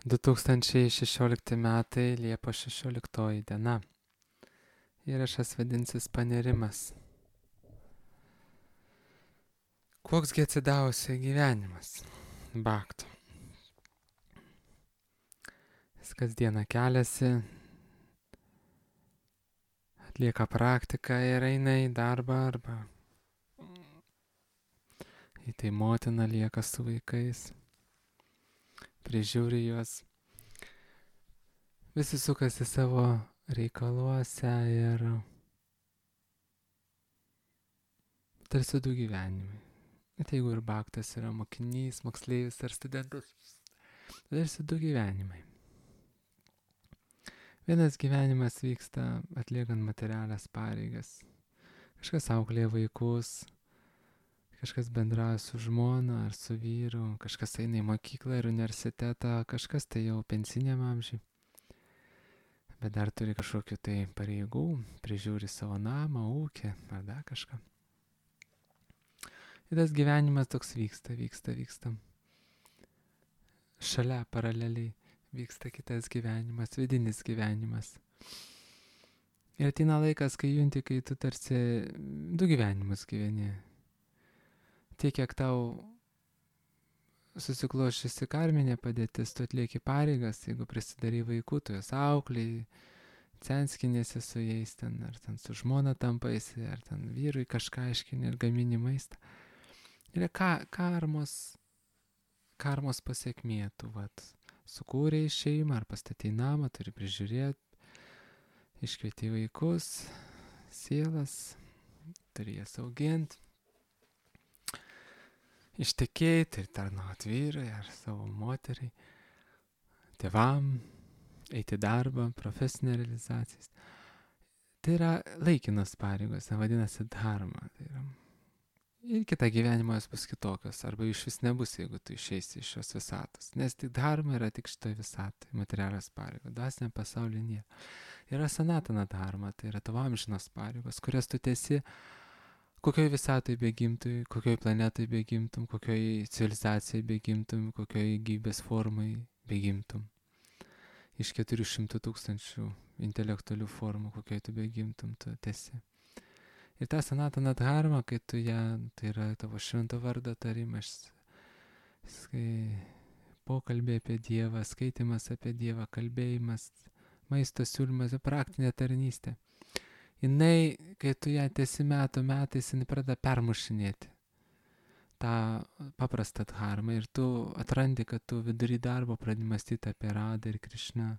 2016 metai, Liepos 16 diena. Įrašas vadinsis panerimas. Koksgi atsidavusio gyvenimas? Bakto. Jis kasdieną keliasi, atlieka praktiką ir eina į darbą arba į tai motina lieka su vaikais, prižiūri juos. Visi sukasi savo reikaluose ir tarsi du gyvenimai. Bet jeigu ir baktas yra mokinys, moksleivis ar studentas, tarsi du gyvenimai. Vienas gyvenimas vyksta atliekant materialias pareigas. Kažkas auklėja vaikus, kažkas bendrauja su žmona ar su vyru, kažkas eina į mokyklą ir universitetą, kažkas tai jau pensiniam amžiui. Bet dar turi kažkokių tai pareigų, prižiūri savo namą, ūkį ar dar kažką. Ir tas gyvenimas toks vyksta. Šalia paraleliai vyksta kitas gyvenimas, vidinis gyvenimas. Ir ateina laikas, kai junti, kai tu tarsi du gyvenimus gyveni. Tiek, kiek tau susikloščiusi karminė padėtis, tu atlieki pareigas, jeigu prisidarai vaikų, tu jas auklėjai, censkinėsi su jais ten, ar ten su žmona tampaisi, ar ten vyrui kažką aiškini ir gamini maistą. Ir karmos pasiekmė, tu sukūrei šeimą ar pastatei namą, turi prižiūrėti, iškvieti vaikus, sielas, turi jas auginti, ištekėti ir tarnauti vyrai ar savo moteriai, tėvam, eiti darbą, profesinė realizacijas. Tai yra laikinos pareigos, vadinasi dharma. Tai yra. Ir kitą gyvenimą jos bus kitokios, arba iš vis nebus, jeigu tu išeisi iš šios visatos. Nes tik dharma yra tik šitoje visatoje, materialios pareigos, dvasinė pasaulyje nėra. Yra sanatana dharma, tai yra tavo amžinos pareigos, kurias tu tesi, kokioj visatoje begimtum, kokioj planetoje begimtum, kokioj civilizacijai begimtum, kokioj gyvybės formai begimtum. Iš 400 000 intelektualių formų, kokioj tu begimtum, tu tesi. Ir ta sanatana dharma, kai tu ją, tai yra tavo švento vardo tarimas, pokalbė apie Dievą, skaitimas apie Dievą, kalbėjimas, maisto siūlymas, praktinė tarnystė. Jinai, kai tu ją tesi metais, jinai pradeda permušinėti tą paprastą dharmą ir tu atrandi, kad tu vidury darbo pradedi mąstyti apie Radą ir Krišną,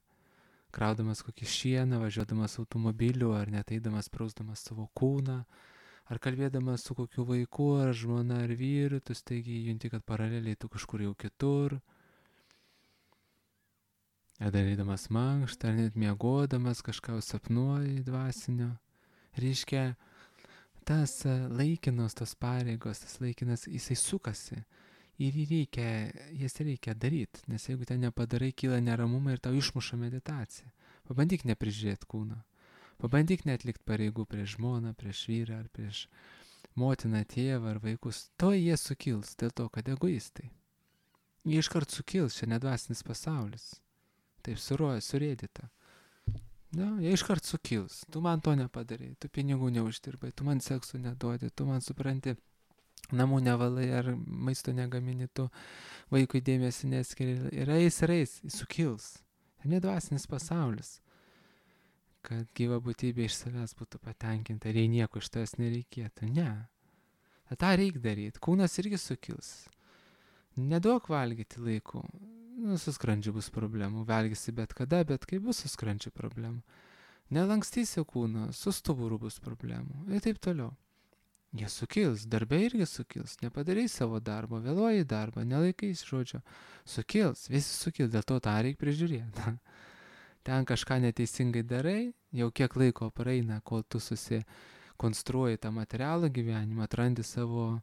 kraudamas kokį šieną, važiuodamas automobiliu, ar net eidamas prausdamas savo kūną, ar kalbėdamas su kokiu vaiku, ar žmona, ar vyru, tu staigiai junti, kad paraleliai tu kažkur jau kitur, ar darydamas mankštą, ar net miegodamas kažką sapnuoji dvasinio. Reiškia, tas laikinos, tos pareigos, tas laikinas, jisai sukasi. Ir jas reikia daryti, nes jeigu ten nepadarai, kyla neramumai ir tau išmuša meditacija. Pabandyk neprižiūrėti kūną. Pabandyk neatlikti pareigų prieš žmoną, prieš vyrą, ar prieš motiną, tėvą ar vaikus. To jie sukils, dėl to, kad egoistai. Jie iškart sukils, čia nedvasinis pasaulis. Taip surėdyta. Jie iškart sukils. Tu man to nepadarai, tu pinigų neuždirbai, tu man sekso neduodi, tu man supranti, namų nevalai ar maisto negamini, tu vaikui dėmesį neskiri ir eis, sukils. Ir nedvasinis pasaulis, kad gyva būtybė iš savęs būtų patenkinta ir jei nieko iš tavęs nereikėtų. Ne. Ta reikia daryti. Kūnas irgi sukils. Neduok valgyti laiku. Su skrandžiu bus problemų. Valgysi bet kada, bet kai bus su skrandžiu problemų. Nelankstysi kūno, su stuburu bus problemų. Ir taip toliau. Jie sukils, darbe irgi sukils, nepadarai savo darbo, vėluoji darbą, nelaikais žodžio, sukils, visi sukils, dėl to tą reikia prižiūrėti. Ten kažką neteisingai darai, jau kiek laiko praeina, kol tu susikonstruoji tą materialų gyvenimą, atrandi savo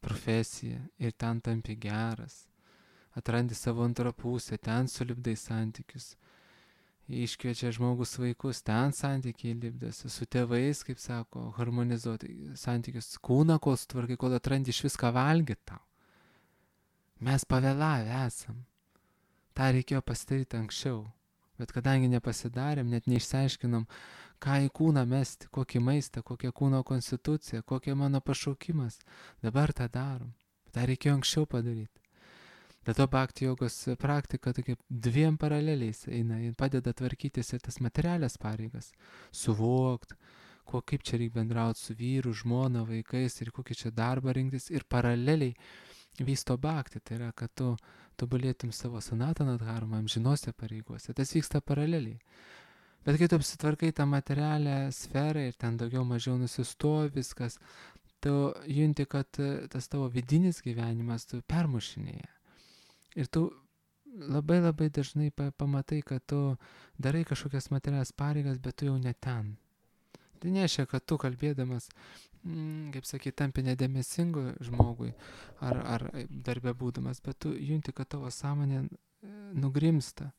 profesiją ir ten tampi geras, atrandi savo antrą pusę, ten sulipdai santykius. Iškviečia žmogus vaikus, ten santykiai lipdasi, su tėvais, kaip sako, harmonizuoti santykius, kūną, kol sutvarkai, kol atrandi iš viską valgyti tau. Mes pavėlavę esam. tą reikėjo pasidaryti anksčiau. Bet kadangi nepasidarėm, net neišsiaiškinom, ką į kūną mesti, kokį maistą, kokia kūno konstitucija, kokia mano pašaukimas, dabar tą darom. tą reikėjo anksčiau padaryti. Dėl to bhakti jogos praktika tokia dviem paraleliais eina, jin padeda tvarkytis ir tas materialias pareigas, suvokt, kaip čia reikia bendrauti su vyru, žmona, vaikais ir kokį čia darbą rinktis, ir paraleliai vysto bhakti, tai yra, kad tu tobulėtum savo sanatana dharma, amžinose pareigose, tas vyksta paraleliai. Bet kai tu apsitvarkai tą materialią sferą ir ten daugiau mažiau nusistovi viskas, tu junti, kad tas tavo vidinis gyvenimas tu permušinėja. Ir tu labai labai dažnai pamatai, kad tu darai kažkokias materialias pareigas, bet tu jau ne ten. Tai nereiškia, kad tu kalbėdamas, kaip sakai, tampi nedėmesingu žmogui ar darbė būdamas, bet tu junti, kad tavo sąmonė nugrimsta.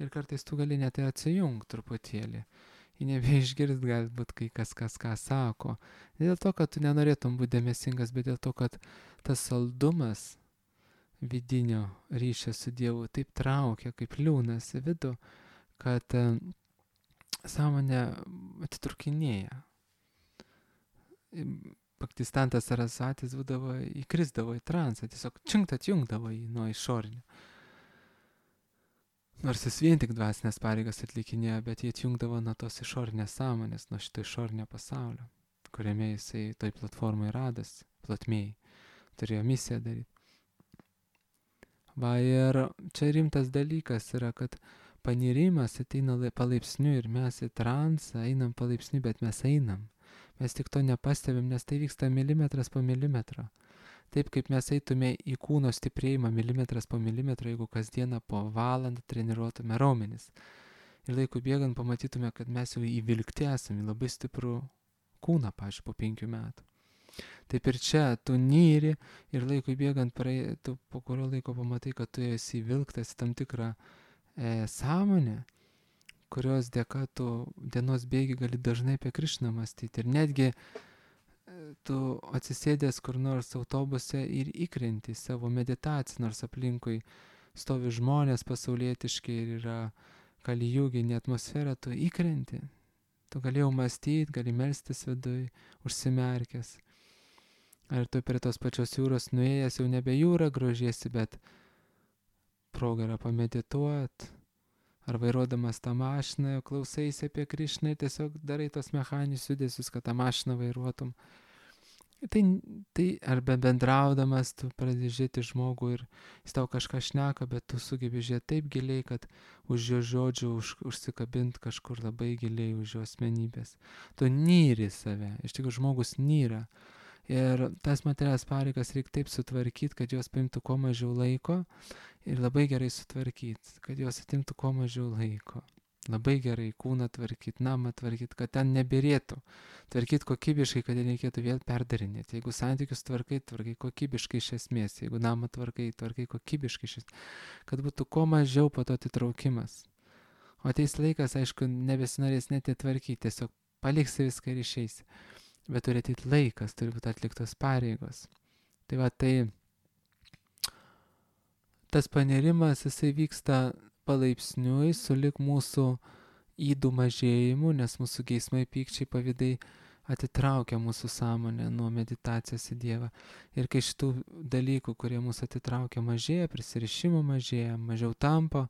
Ir kartais tu gali net atsijungti truputėlį. Ir nebeišgirst galbūt kai kas ką sako. Ne dėl to, kad tu nenorėtum būti dėmesingas, bet dėl to, kad tas saldumas vidinio ryšio su Dievu taip traukia, kaip liūnas į vidų, kad sąmonė atitrukinėja. Bhaktistantas Sarasatis įkrisdavo į transą, tiesiog činkt atjungdavo jį nuo išorinio. Nors jis vien tik dvasinės pareigas atlikinėjo, bet jie atjungdavo nuo tos išorinės sąmonės, nuo šito išorinio pasaulio, kuriame jisai toj platformai radosi, plotmėj, turėjo misiją daryti. Va ir čia rimtas dalykas yra, kad panirimas ateina palaipsniui ir mes į transą einam palaipsniui, bet mes einam. Mes tik to nepastebim, nes tai vyksta milimetras po milimetro. Taip kaip mes eitume į kūno stiprėjimą milimetras po milimetro, jeigu kasdieną po valandą treniruotume raumenis. Ir laikui bėgant pamatytume, kad mes jau įvilkti esame į labai stiprų kūną, pavyzdžiui, po 5 metų. Taip ir čia tu nyri ir laikui bėgant tu po kurio laiko pamatai, kad tu esi įvilktas į tam tikrą sąmonę, kurios dėka tu dienos bėgi gali dažnai apie Krišną mąstyti. Ir netgi tu atsisėdęs kur nors autobuse ir įkrenti savo meditaciją, nors aplinkui stovi žmonės pasaulietiški ir yra kalijuginė atmosfera, tu įkrenti. Tu galėjau mąstyti, gali melstis viduj, užsimerkęs. Ar tu prie tos pačios jūros nuėjęs jau nebe jūra grožiesi, bet proga yra pamedituot. Ar vairuodamas tą mašiną, klausaisi apie Krišną ir tiesiog darai tos mechaninius judesius, kad tą mašiną vairuotum. Tai arba bendraudamas tu pradedi žiūrėti žmogų ir jis tau kažką šneka, bet tu sugebi žiūrėti taip giliai, kad už jo žodžių užsikabint kažkur labai giliai už jo asmenybės. Tu nyri save, iš tikrųjų žmogus nyra. Ir tas materialias pareigas reikia taip sutvarkyti, kad jos paimtų kuo mažiau laiko ir labai gerai sutvarkyti, kad jos atimtų kuo mažiau laiko. Labai gerai kūną tvarkyti, namą tvarkyti, kad ten nebirėtų. Tvarkyti kokybiškai, kad nereikėtų vėl perdarinėti. Jeigu santykius tvarkai kokybiškai iš esmės. Jeigu namą tvarkai kokybiškai iš esmės. Kad būtų kuo mažiau po to atitraukimas. O ateis laikas, aišku, nebesinorės net įtvarkyti. Tiesiog paliksi viską ir išeisi. Bet turi ateiti laikas, turi būti atliktos pareigos. Tai va, tas panirimas, jisai vyksta palaipsniui, sulig mūsų ydų mažėjimu, nes mūsų geismai, pykčiai, pavydai atitraukia mūsų sąmonę nuo meditacijos į Dievą. Ir kai šitų dalykų, kurie mūsų atitraukia, mažėja, prisirišimų mažėja, mažiau tampa,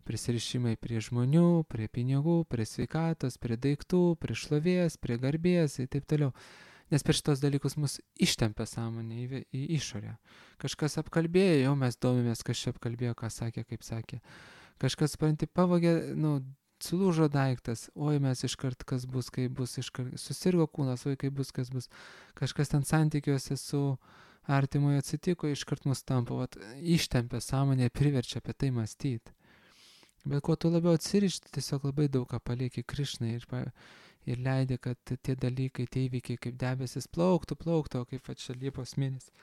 prisirišimai prie žmonių, prie pinigų, prie sveikatos, prie daiktų, prie šlovės, prie garbės ir taip toliau. Nes per šitos dalykus mus ištempia sąmonė į išorę. Kažkas apkalbėjo, jau mes domimės, kas čia apkalbėjo, ką sakė, kaip sakė. Kažkas, supranti, pavogė, sulūžo daiktas, oi mes iškart kas bus, kaip bus, iškart susirgo kūnas, oi kaip bus, kas bus. Kažkas ten santykiuose su artimoje atsitiko, iškart mus tampa, ištempia sąmonė, priverčia apie tai mąstyti. Bet kuo tu labiau atsirišti, tiesiog labai daug ką palieki Krišnai ir leidė, kad tie dalykai, tie įvykiai kaip debesis plauktų, o kaip čia Liepos mėnesį.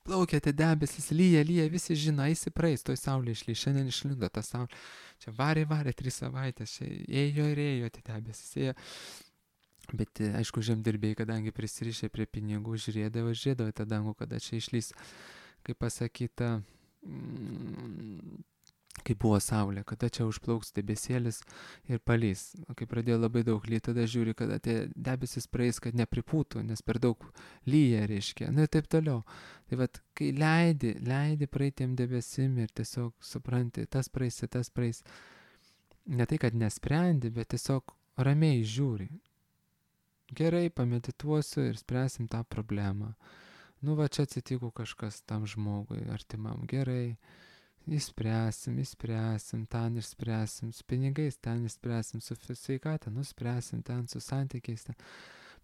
Plaukia tie debesis, lyja, visi žino, eisi praeis, toj saulė išlys, šiandien išlindo ta saulė. Čia varė 3 savaitės, čia ėjo tie debesis, ėjo. Bet aišku, žemdirbėjai, kadangi prisirišė prie pinigų, žiūrėdavo į tą dangų, kada čia išlys, kaip pasakyta, kai buvo saulė, kada čia užplauks debesėlis ir palys. Kai pradėjo labai daug lyti, tada žiūri, kada tie debesis praeis, kad nepripūtų, nes per daug lyja, reiškia. Ir taip toliau. Tai vat, kai leidi praeitiem debesim ir tiesiog supranti, tas praeis. Ne tai, kad nesprendi, bet tiesiog ramiai žiūri. Gerai, pamedituosiu ir spręsim tą problemą. Va čia atsitiko kažkas tam žmogui artimam. Gerai. Išspręsim, ten išspręsim, su pinigais ten išspręsim, su sveikata, spręsim ten, su santykiais ten.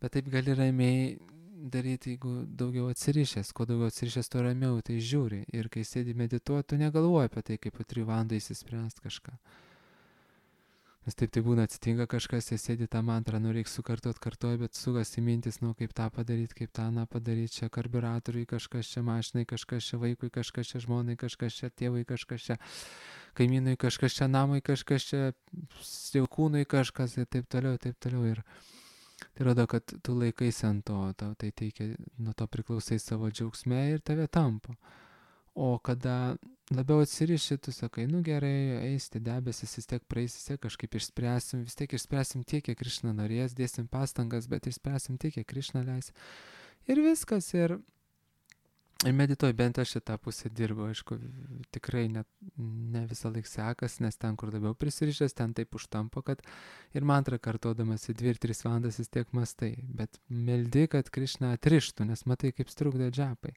Bet taip gali ramiai daryti, jeigu daugiau atsirišęs, kuo daugiau atsirišęs, tuo ramiau tai žiūri. Ir kai sėdi medituoti, tu negalvoji apie tai, kaip po 3 valandų įsispręst kažką. Nes taip tai būna, atsitinka kažkas, jie sėdi tą mantrą, reikia kartuoji, bet sugasi mintis, kaip tą padaryti, kaip tą padaryti, čia karburatoriui kažkas, čia mašinai, kažkas čia vaikui, kažkas čia žmonai, kažkas čia tėvui, kažkas čia kaimynui, kažkas čia namui, kažkas čia jaukūnui, kažkas ir taip toliau. Ir tai rodo, kad tu laikaisi ant to, tau tai teikia, nuo to priklausai savo džiaugsme ir tave tampo. O kada labiau atsiriši, tu sakai, gerai, eisti debesis, vis tiek praeis, vis tiek kažkaip išspręsim tiek, kiek Krišna norės, dėsim pastangas, bet išspręsim tiek, kiek Krišna leis. Ir viskas, ir medituoju, bent aš šitą pusę dirbu, aišku, tikrai ne visą laiką sekas, nes ten, kur labiau prisirišęs, ten taip užtampo, kad ir mantrą kartodamas į 2-3 valandas vis tiek mastai, bet meldi, kad Krišna atrištų, nes matai, kaip strukdo džapai.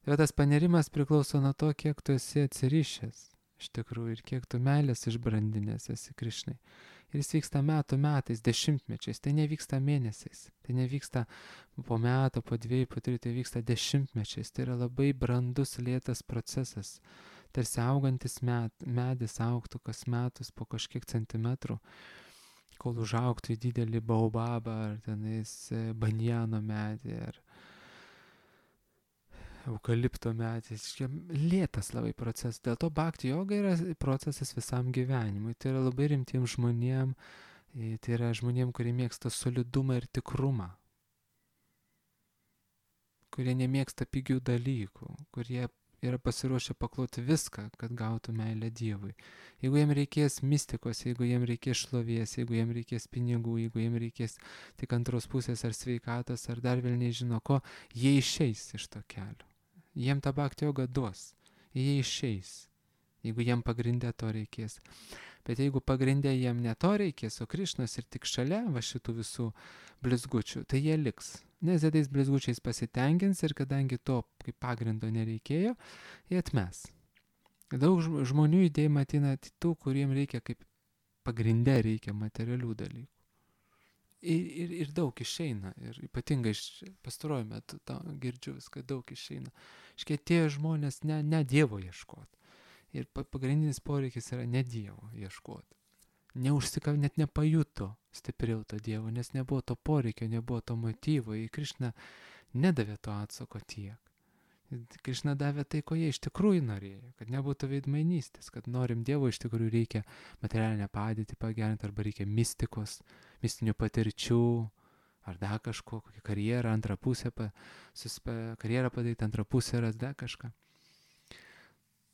Tai tas panerimas priklauso nuo to, kiek tu esi atsirišęs, iš tikrųjų, ir kiek tu meilės išbrandinęs esi Krišnai. Ir jis vyksta metais, dešimtmečiais, tai nevyksta mėnesiais, tai nevyksta po metų, po 2, po 3, tai vyksta dešimtmečiais. Tai yra labai brandus, lėtas procesas, tarsi augantis medis augtų kas metus po kažkiek centimetrų, kol užaugtų į didelį baobabą ar tenais banjano medį ar eukalipto medis. Lėtas labai procesas. Dėl to bhakti joga yra procesas visam gyvenimui. Tai yra labai rimtiems žmonėm, tai yra žmonėm, kurie mėgsta solidumą ir tikrumą, kurie nemėgsta pigių dalykų, kurie yra pasiruošę pakloti viską, kad gautų meilę Dievui. Jeigu jiem reikės mistikos, jeigu jiem reikės šlovės, jeigu jiem reikės pinigų, jeigu jiem reikės tik antros pusės ar sveikatos, ar dar vėl nežino ko, jie išeis iš to kelio. Jiem tą bhakti jogą duos. Jie išeis, jeigu jiem pagrindė to reikės. Bet jeigu pagrindė jiem ne to reikės, o Krišnos ir tik šalia šitų visų blizgučių, tai jie liks. Nes jie tais blizgučiais pasitenkins ir kadangi to kaip pagrindo nereikėjo, jie atmes. Daug žmonių judėjimą ateina tų, kuriem reikia kaip pagrindė reikia materialių dalykų. Ir daug išeina. Ir ypatingai pastaruoju metu girdžiu viską, daug išeina. Iškėtėjo žmonės ne Dievo ieškoti. Ir pagrindinis poreikis yra ne Dievo ieškoti. Net nepajuto stipriau to Dievo, nes nebuvo to poreikio, nebuvo to motyvo. Į Krišną nedavė to atsako tiek. Krišna davė tai, ko jie iš tikrųjų norėjo, kad nebūtų veidmainystės, kad norim Dievo, iš tikrųjų reikia materialinę padėtį pagerinti, arba reikia mistikos, mistinių patirčių, ar dar kažko, kokią karjerą, antrą pusę, karjerą padaryti, antrą pusę, ar dar kažką.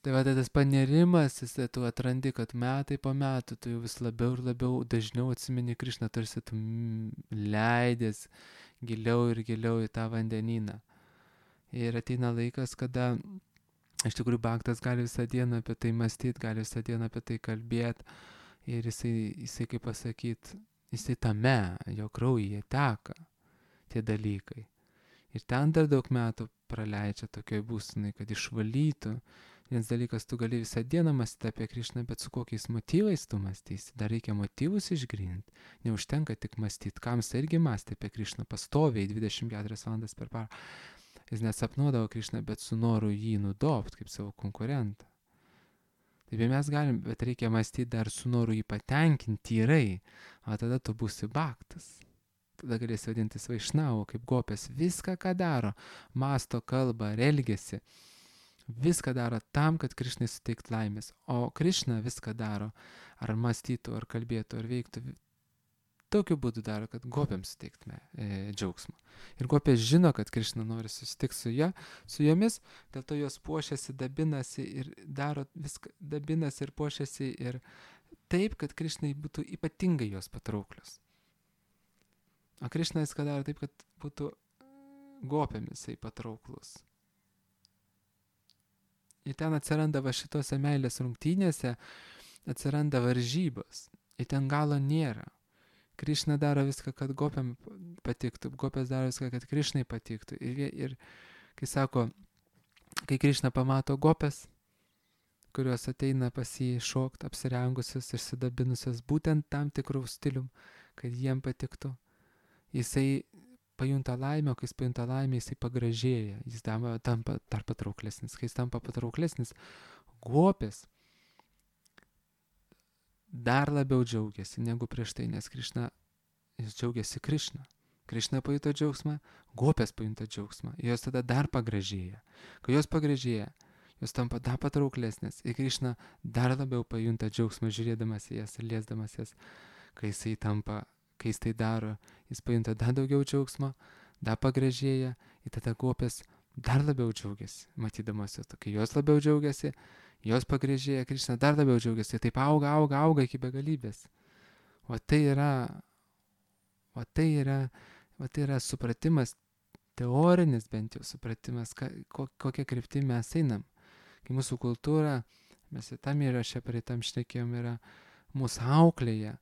Tai tas panerimas, tu atrandi, kad metai po metų tu jau vis labiau ir labiau dažniau atsimeni Krišną, tarsi tu leidės giliau ir giliau į tą vandenyną. Ir ateina laikas, kada iš tikrųjų bhaktas gali visą dieną apie tai mąstyti, gali visą dieną apie tai kalbėti. Ir jisai kaip pasakyti, jisai tame, jo kraujyje teka tie dalykai. Ir ten dar daug metų praleidžia tokioj būsenai, kad išvalytų. Vienas dalykas, tu gali visą dieną mąstyti apie Krišną, bet su kokiais motyvais tu mąstysi. Dar reikia motyvus išgrinti. Neužtenka tik mąstyti. Kamsa irgi mąstė apie Krišną pastoviai 24 valandas per parą. Jis nesapnuodavo Krišną, bet su noru jį nudobti kaip savo konkurentą. Taip mes galim, bet reikia mąstyti dar su noru jį patenkinti tyrai, o tada tu būsi bhaktas. Tada galėsi vadintis vaišnau, kaip gopės. Viską, ką daro, mąsto, kalba, elgiasi, viską daro tam, kad Krišnai suteikti laimės. O Krišna viską daro, ar mąstytų, ar kalbėtų, ar veiktų, tokiu būdu daro, kad gopėms suteiktume džiaugsmą. Ir gopės žino, kad Krišna nori susitikti su jomis, dėl to jos puošiasi, dabinasi ir daro viską, dabinasi ir puošiasi ir taip, kad Krišnai būtų ypatingai jos patrauklios. O Krišna viską daro taip, kad būtų gopėmis patrauklus. Ir ten atsiranda va šitose meilės rungtynėse, atsiranda varžybos. Ir ten galo nėra. Krišna daro viską, kad gopėm patiktų. Gopės daro viską, kad Krišnai patiktų. Ir kai sako, kai Krišna pamato gopės, kurios ateina pas jį šokt, apsirengusios ir sidabinusios būtent tam tikrų stilium, kad jiem patiktų, jisai pajunta laimę, o kai jis pajunta laimę, jisai pagražėja. Jis tampa dar patrauklesnis. Kai jis tampa patrauklesnis, gopės dar labiau džiaugiasi negu prieš tai, nes Krišna, jis džiaugiasi Krišna. Krišna pajuto džiaugsmą, gopės pajuto džiaugsmą. Jos tada dar pagražėja. Kai jos pagražėja, jos tampa dar patrauklesnės. Ir Krišna dar labiau pajunta džiaugsmą žiūrėdamas į jas ir liesdamas jas. Kai jis tai daro, jis pajunta dar daugiau džiaugsmo, dar pagražėja. Ir tada gopės dar labiau džiaugiasi, matydamas jos. Kai jos labiau džiaugiasi, jos pagražėja, Krišna dar labiau džiaugiasi, taip auga iki begalybės. O tai yra supratimas, teorinis bent jau supratimas, kokia kryptimi mes einam. Kai mūsų kultūra, mes tam įraše praeitam šnekėjom, yra mūsų auklėje,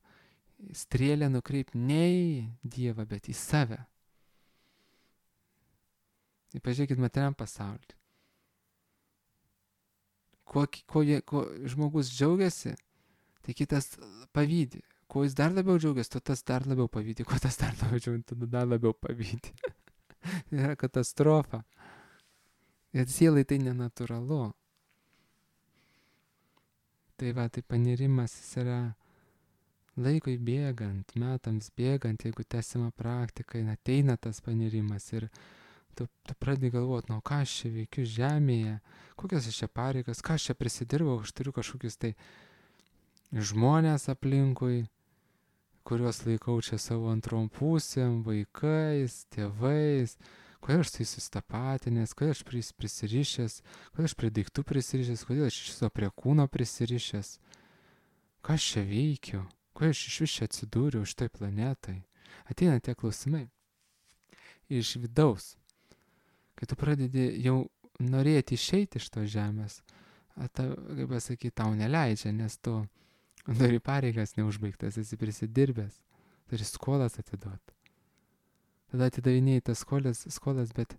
strėlę nukreipti ne į Dievą, bet į save. Ir pažiūrėkit materiam pasaulį. Ko žmogus džiaugiasi, tai kitas pavydi. Kuo jis dar labiau džiaugiasi, to tas dar labiau pavydi. Kuo tas dar labiau džiaugiasi, tada dar labiau pavydi. Tai yra katastrofa. Ir sielai tai nenatūralu. Tai panirimas jis yra laikui bėgant, metams bėgant, jeigu tęsima praktika, ateina tas panirimas ir tu pradedi galvoti, ką aš čia veikiu žemėje, kokias aš čia pareigas, ką aš čia prisidirbau, aš turiu kažkokius tai žmonės aplinkui, kuriuos laikau čia savo antrom pusėm, vaikais, tėvais, kodėl aš tai sustapatinęs, kodėl aš prisirišęs, kodėl aš prie daiktų prisirišęs, kodėl aš iš viso prie kūno prisirišęs, ką aš čia veikiu, kodėl aš iš vis čia atsidūriau šitai planetai. Ateina tie klausimai iš vidaus. Kai tu pradedi jau norėti išeiti iš tos žemės, kaip pasakyti, tau neleidžia, nes tu turi pareigas neužbaigtas, esi prisidirbęs, turi skolas atiduoti. Tada atidavinėjai tas skolas, bet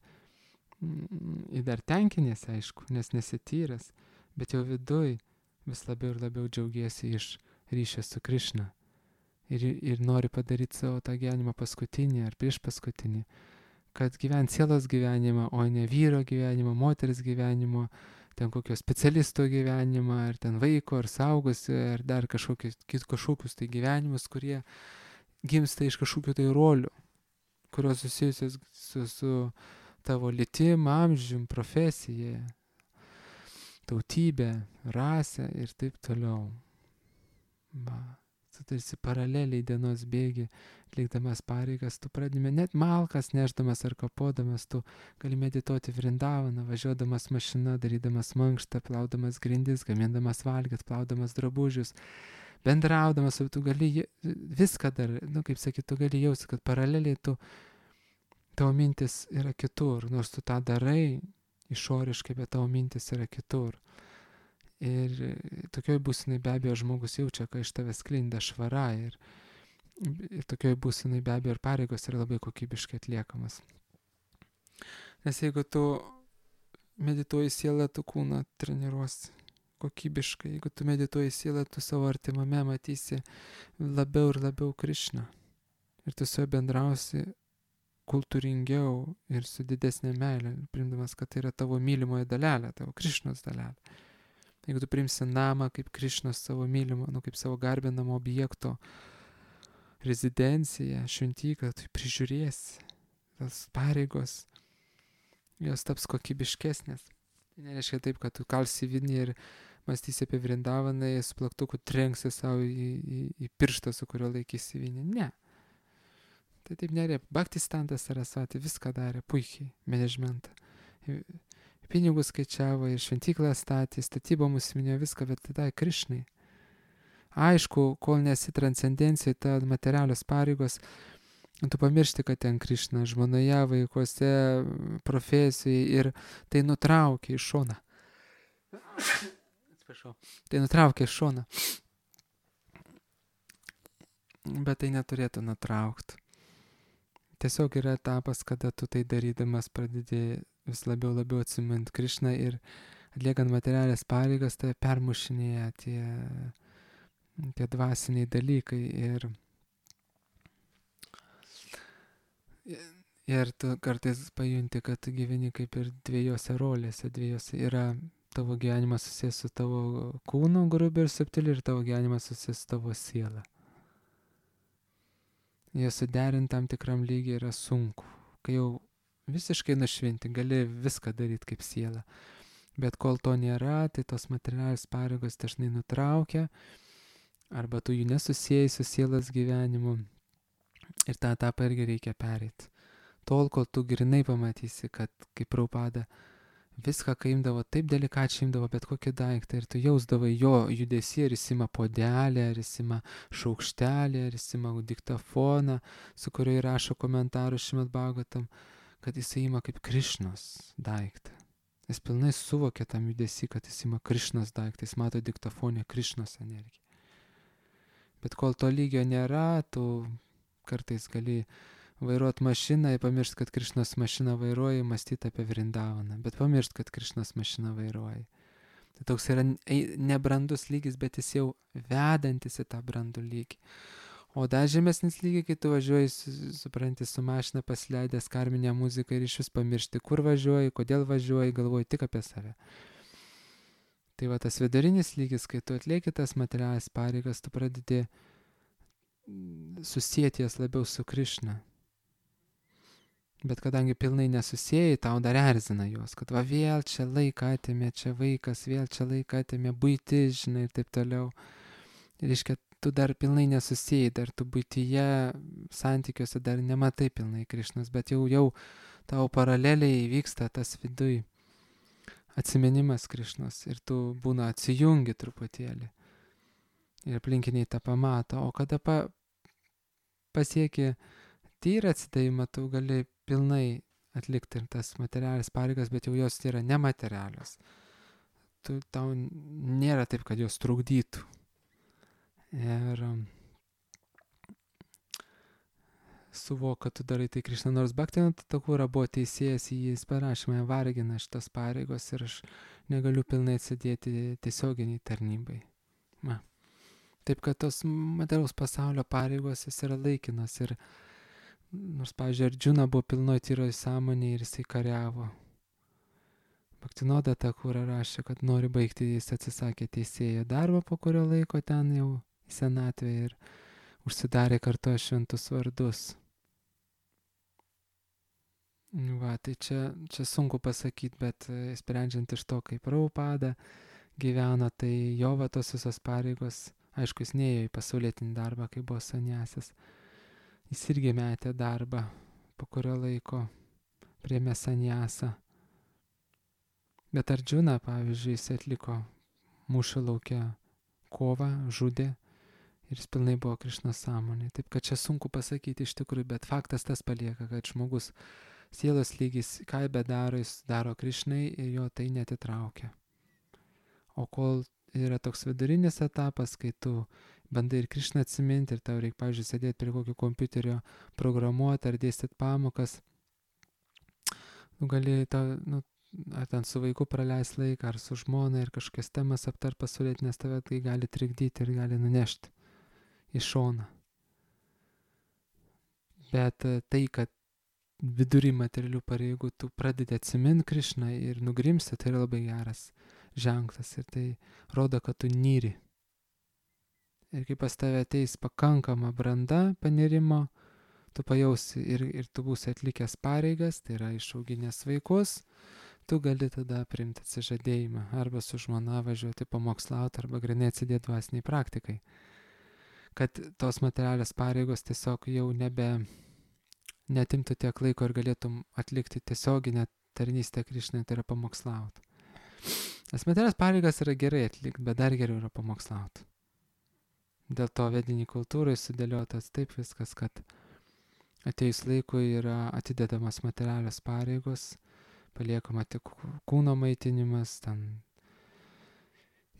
dar tenkinėsi, aišku, nes nesityręs, bet jau viduj vis labiau ir labiau džiaugiesi iš ryšio su Krišna. Ir nori padaryti savo tą gyvenimą paskutinį ar prieš paskutinį, kad gyvent sielos gyvenimą, o ne vyro gyvenimą, moters gyvenimą, ten kokio specialisto gyvenimą, ar ten vaiko, ar saugusio, ar dar kažkokius tai gyvenimus, kurie gimsta iš kažkokių tai rolių, kurios susijusios su tavo lytim, amžium, profesija, tautybė, rasė ir taip toliau. Tu tarsi paraleliai dienos bėgi, atlikdamas pareigas, tu pradėjome net malkas nešdamas ar kapodamas, tu gali medituoti Vrindavaną, važiuodamas mašina, darydamas mankštą, plaudamas grindis, gamindamas valgyt, plaudamas drabužius, bendraudamas, tu gali viską dar, kaip sakyt, tu gali jausti, kad paraleliai tavo mintis yra kitur, nors tu tą darai išoriškai, bet tavo mintis yra kitur. Ir tokioj būsenai be abejo žmogus jaučia, kai iš tavęs sklinda švara ir tokioj būsenai be abejo ir pareigos yra labai kokybiškai atliekamas. Nes jeigu tu medituoji sielą, tu kūną treniruosi kokybiškai. Jeigu tu medituoji sielą, tu savo artimame matysi labiau ir labiau Krišną. Ir tu su juo bendrausi kultūringiau ir su didesnė meilė, priimdamas, kad tai yra tavo mylimoji dalelė, tavo Krišnos dalelė. Jeigu tu priimsi namą kaip Krišnos savo mylimo, kaip savo garbinamo objekto rezidenciją, šventyklą, tu prižiūrėsi, tas pareigos, jos taps kokybiškesnės. Tai nereiškia taip, kad tu kalsi vinį ir mąstysi apie Vrindavaną, su plaktuku trenksi savo į pirštą, su kurio laikysi vinį. Ne. Tai taip nerė. Bhaktistantas Sarasvati viską darė puikiai, managementą. Pinigus skaičiavo ir šventyklą statė, statybom užsiminėjo viską, bet tada Krišnai. Aišku, kol nesi transcendencijai, ta materialios pareigos, tu pamiršti, kad ten Krišna žmonoje, vaikuose, profesijai ir tai nutraukia iš šoną. Atsiprašau. Tai nutraukia iš šoną. Bet tai neturėtų nutraukti. Tiesiog yra etapas, kada tu tai darydamas pradedi vis labiau atsimint Krišną ir atliekant materialės pareigas, tai permušinėja tie dvasiniai dalykai ir tu kartais pajunti, kad tu gyveni kaip ir dviejose rolėse, yra tavo gyvenimas susijęs su tavo kūnu grubiai ir subtiliai ir tavo gyvenimas susijęs su tavo siela. Jie suderinti tam tikram lygiai yra sunku. Kai jau visiškai nušvinti, gali viską daryti kaip siela. Bet kol to nėra, tai tos materialios pareigos dažnai nutraukia, arba tu jų nesusijai su sielos gyvenimu. Ir tą etapą irgi reikia pereiti. Tol, kol tu grinai pamatysi, kad kaip Prabhupada viską, kai imdavo, taip delikačiai imdavo bet kokį daiktą ir tu jausdavai jo judesį, ar jis ima podelį, ar jis ima šaukštelį, ar jis ima diktafoną, su kuriuo įrašo komentarų Šrimad Bhagavatam, kad jis ima kaip Krišnos daiktą. Jis pilnai suvokia tam judesį, kad jis ima Krišnos daiktą, jis mato diktafonę Krišnos energiją. Bet kol to lygio nėra, tu kartais gali vairuoti mašiną ir pamiršti, kad Krišnos mašiną vairuoji, mąstyti apie Vrindavaną, bet pamiršti, kad Krišnos mašiną vairuoji. Tai toks yra nebrandus lygis, bet jis jau vedantis į tą brandų lygį. O dar žemesnis lygiai, kai tu važiuoji, supranti, su mašina pasileidęs karminę muziką ir iš vis pamiršti, kur važiuoji, kodėl važiuoji, galvoji tik apie save. Tai va tas vidurinis lygis, kai tu atlieki tas materialias pareigas, tu pradedi susijęti jas labiau su Krišna. Bet kadangi pilnai nesusijai, tau dar erzina juos, kad va vėl čia laiką atėmė, čia vaikas, vėl čia laiką atėmė, buitis, žinai, ir taip toliau. Ir reiškia, tu dar pilnai nesusijai, dar tu buityje, santykiuose dar nematai pilnai Krišnos, bet jau tau paraleliai vyksta tas viduj atsiminimas Krišnos ir tu būna atsijungi truputėlį. Ir aplinkiniai tą pamato, o kada pasieki tyrą atsidavimą, tu gali pilnai atlikti ir tas materialias pareigas, bet jau jos yra nematerialios. Tau nėra taip, kad jos trukdytų. Ir suvok, kad tu darai tai Krišna, nors Bhaktivinoda Thakura buvo teisėjas, jis parašė, mane vargina šitos pareigos ir aš negaliu pilnai atsidėti tiesioginiai tarnybai. Taip, kad tos materialaus pasaulio pareigos jis yra laikinas ir nors, pavyzdžiui, Arjuna buvo pilnoj tyroj sąmonėje ir jisai kariavo. Bhaktivinoda Thakura rašė, kad nori baigti, jis atsisakė teisėjo darbą, po kurio laiko ten jau į senatvę ir užsidarė kartu šventus vardus. Va, tai čia sunku pasakyti, bet sprendžiant iš to, kaip Prabhupada gyveno, tai jo va tos visos pareigos, aišku, jis neėjo į pasaulietinį darbą, kai buvo sanjasis. Jis irgi metė darbą, po kurio laiko priėmė sanjasą. Bet Arjuna, pavyzdžiui, jis atliko mūšio lauke kovą, žudė ir jis pilnai buvo Krišnos sąmonė. Taip, kad čia sunku pasakyti iš tikrųjų, bet faktas tas palieka, kad žmogus sielos lygis, ką bedaro, jis daro Krišnai ir jo tai netitraukia. O kol yra toks vidurinis etapas, kai tu bandai ir Krišną atsiminti ir tau reikia, pavyzdžiui, sėdėti prie kokio kompiuterio, programuoti ar dėstyti pamokas, gali ar ten su vaiku praleis laiką, ar su žmona ir kažkokias temas aptar pasaulietinės, tave tai gali trikdyti ir gali nunešti į šoną. Bet tai, kad vidury materialių pareigų tu pradedi atsiminti Krišną ir nugrimsti, tai yra labai geras ženklas ir tai rodo, kad tu nyri. Ir kai pas tave ateis pakankama branda panirimo, tu pajausi ir tu būsi atlikęs pareigas, tai yra išauginęs vaikus, tu gali tada priimti atsižadėjimą, arba su žmona važiuoti pamokslauti, arba grinai atsidėti dvasiniai praktikai. Kad tos materialios pareigos tiesiog jau netimtų tiek laiko ir galėtum atlikti tiesioginę tarnystę Krišnai, tai yra pamokslauti. Nes materialias pareigas yra gerai atlikti, bet dar geriau yra pamokslauti. Dėl to vediniai kultūrai sudėliotas taip viskas, kad atėjus laikui yra atidedamas materialios pareigos, paliekama tik kūno maitinimas, ten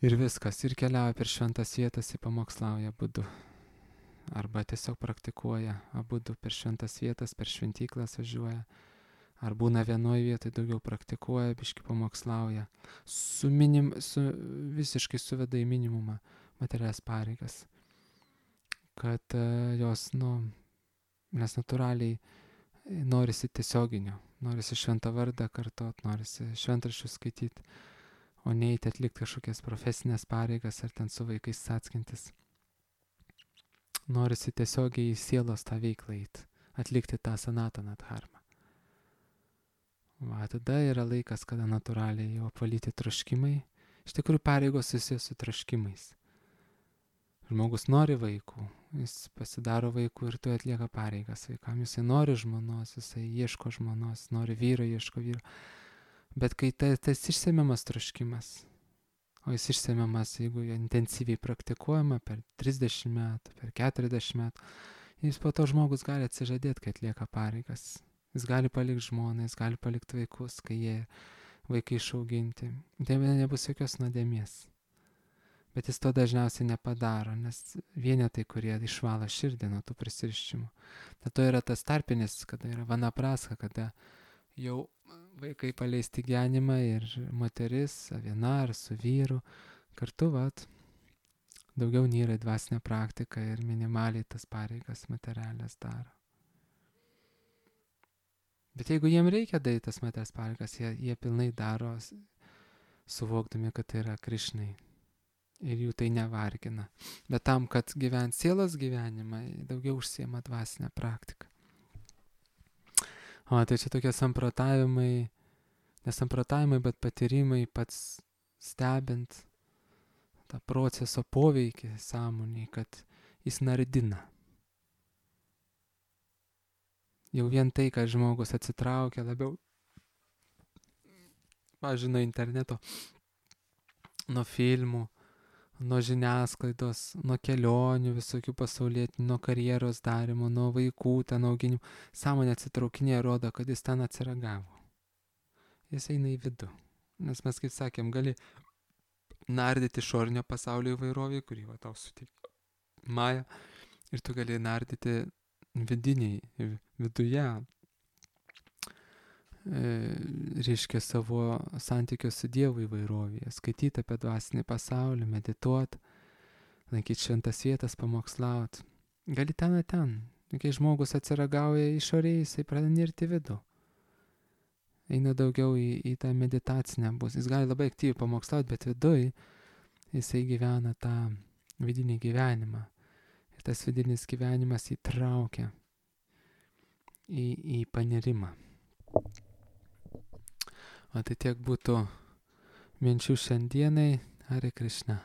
ir viskas, ir keliauja per šventas vietas, į pamokslauja abudu. Arba tiesiog praktikuoja abudu per šventas vietas, per šventyklas važiuoja. Ar būna vienoje vietoje, daugiau praktikuoja, biški pamokslauja. Visiškai suveda į minimumą materialias pareigas. Kad jos, nes natūraliai norisi tiesioginio, norisi šventą vardą kartot, norisi šventraščius skaityti, o neiti atlikti kažkokias profesinės pareigas ar ten su vaikais atskintis. Norisi tiesiogiai į sielos tą veiklą eiti, atlikti tą sanataną dharmą. Tada yra laikas, kada natūraliai jau apvalyti troškimai. Iš tikrųjų pareigos susijęs su troškimais. Žmogus nori vaikų, jis pasidaro vaikų ir tu atlieka pareigas vaikam. Jisai nori žmonos, jisai ieško žmonos, nori vyro, ieško vyro. Bet kai tas išsemiamas troškimas, o jis išsemiamas, jeigu intensyviai praktikuojama per 30 metų, per 40 metų, jis po to žmogus gali atsižadėti, kai atlieka pareigas. Jis gali palikti žmoną, jis gali palikti vaikus, kai jie vaikai išauginti. Tai nebus jokios nuodėmės. Bet jis to dažniausiai nepadaro, nes vienetai, kurie išvalo širdį nuo tų prisirišimų. Tad to yra tas tarpinis, kada yra vanapraska, kada jau vaikai paleisti gyvenimą ir moteris, viena ar su vyru, kartu daugiau nyra į dvasinę praktiką ir minimaliai tas pareigas materialias daro. Bet jeigu jiem reikia daryti tas materialias pareigas, jie pilnai daro, suvokdami, kad tai yra Krišnai. Ir jų tai nevargina. Bet tam, kad gyvent sielos gyvenimą, daugiau užsiema dvasinę praktiką. O tai čia tokie samprotavimai, nesamprotavimai, bet patyrimai pats stebint tą proceso poveikį sąmoniai, kad jis nardina. Jau vien tai, kad žmogus atsitraukia labiau, pavyzdžiui, nuo interneto, nuo filmų, nuo žiniasklaidos, nuo kelionių visokių pasaulietinių, nuo karjeros darimo, nuo vaikų ten auginimų. Sąmonė atsitraukinė rodo, kad jis ten atsiragavo. Jis eina į vidų. Nes mes, kaip sakėm, gali nardyti išorinio pasaulio įvairovį, kurį tau suteikia Maja, ir tu gali nardyti vidiniai, viduje, reiškia savo santykio su Dievu įvairovėje, skaityti apie dvasinį pasaulį, medituoti, lankyti šventas vietas, pamokslauti. Gali ten. Kai žmogus atsiragauja išorėje, jisai pradeda nirti vidų. Eina daugiau į tą meditacinę bus. Jis gali labai aktyviai pamokslauti, bet viduj jisai gyvena tą vidinį gyvenimą. Ir tas vidinis gyvenimas įtraukia į panirimą. O tai tiek būtų minčių šiandienai. Hare Krishna.